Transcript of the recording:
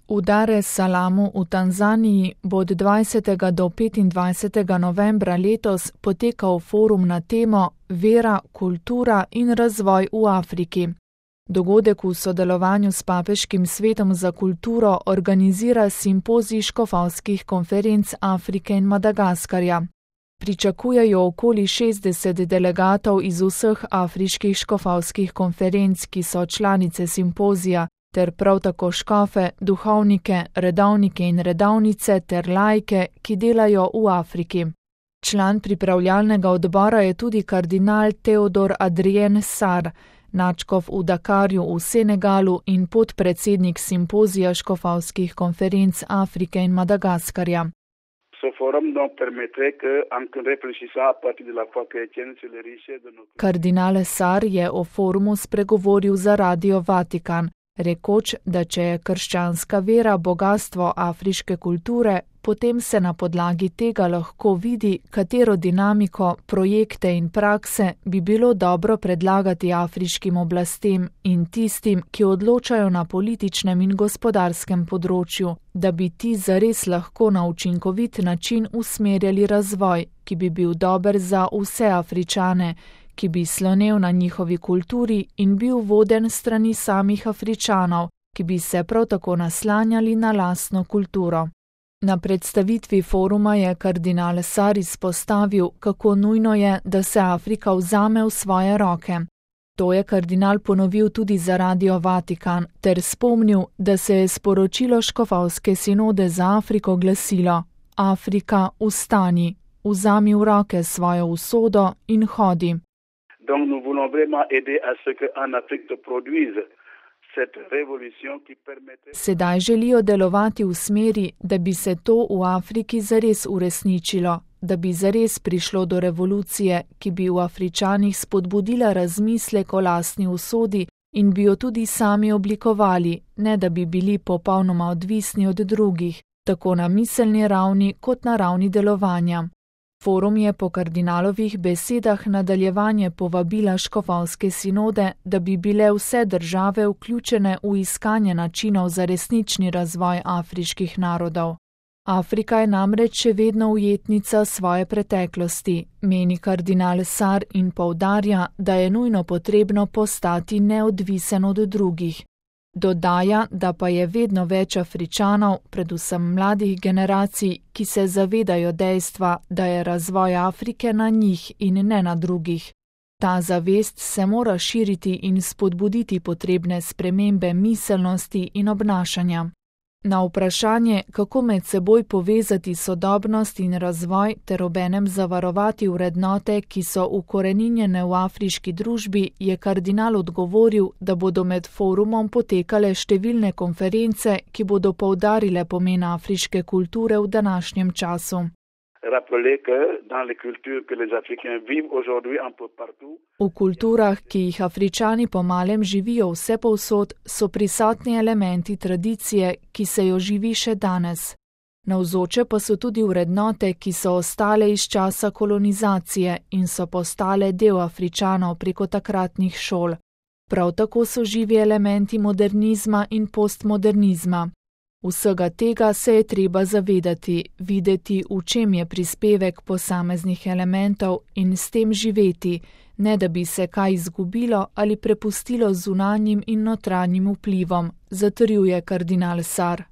V Dar es Salamu v Tanzaniji bo od 20. do 25. novembra letos potekal forum na temo Vera, kultura in razvoj v Afriki. Dogodek v sodelovanju s Papeškim svetom za kulturo organizira simpozij škofovskih konferenc Afrike in Madagaskarja. Pričakujejo okoli 60 delegatov iz vseh afriških škofovskih konferenc, ki so članice simpozija, ter prav tako škofe, duhovnike, redovnike in redovnice ter laike, ki delajo v Afriki. Član pripravljalnega odbora je tudi kardinal Teodor Adrien Sarr, nadškof v Dakarju v Senegalu in podpredsednik simpozija škofovskih konferenc Afrike in Madagaskarja. Kardinal Sarr je o forumu spregovoril za Radio Vatikan, rekoč, da če je krščanska vera bogastvo afriške kulture, potem se na podlagi tega lahko vidi, katero dinamiko, projekte in prakse bi bilo dobro predlagati afriškim oblastem in tistim, ki odločajo na političnem in gospodarskem področju, da bi ti zares lahko na učinkovit način usmerjali razvoj, ki bi bil dober za vse Afričane, ki bi slonel na njihovi kulturi in bil voden strani samih Afričanov, ki bi se prav tako naslanjali na lastno kulturo. Na predstavitvi foruma je kardinal Sarr izpostavil, kako nujno je, da se Afrika vzame v svoje roke. To je kardinal ponovil tudi za Radio Vatikan, ter spomnil, da se je sporočilo škofovske sinode za Afriko glasilo: Afrika, vstani, vzami v roke svojo usodo in hodi. Donc nous voulons vraiment aider à ce qu'en Afrique se produise cette révolution qui permette... Sedaj želijo delovati v smeri, da bi se to v Afriki zares uresničilo, da bi zares prišlo do revolucije, ki bi v Afričanih spodbudila razmislek o lastni usodi in bi jo tudi sami oblikovali, ne da bi bili popolnoma odvisni od drugih, tako na miselni ravni kot na ravni delovanja. Forum je po kardinalovih besedah nadaljevanje povabila škofovske sinode, da bi bile vse države vključene v iskanje načinov za resnični razvoj afriških narodov. Afrika je namreč še vedno ujetnica svoje preteklosti, meni kardinal Sarr in poudarja, da je nujno potrebno postati neodvisen od drugih. Dodaja, da pa je vedno več Afričanov, predvsem mladih generacij, ki se zavedajo dejstva, da je razvoj Afrike na njih in ne na drugih. Ta zavest se mora širiti in spodbuditi potrebne spremembe miselnosti in obnašanja. Na vprašanje, kako med seboj povezati sodobnost in razvoj ter obenem zavarovati vrednote, ki so ukoreninjene v afriški družbi, je kardinal odgovoril, da bodo med forumom potekale številne konference, ki bodo poudarile pomen afriške kulture v današnjem času. V kulturah, ki jih Afričani po malem živijo vsepovsod, so prisotni elementi tradicije, ki se jo živi še danes. Navzoče pa so tudi vrednote, ki so ostale iz časa kolonizacije in so postale del Afričanov preko takratnih šol. Prav tako so živi elementi modernizma in postmodernizma. Vsega tega se je treba zavedati, videti, v čem je prispevek posameznih elementov in s tem živeti, ne da bi se kaj izgubilo ali prepustilo zunanjim in notranjim vplivom, zatrjuje kardinal Sarr.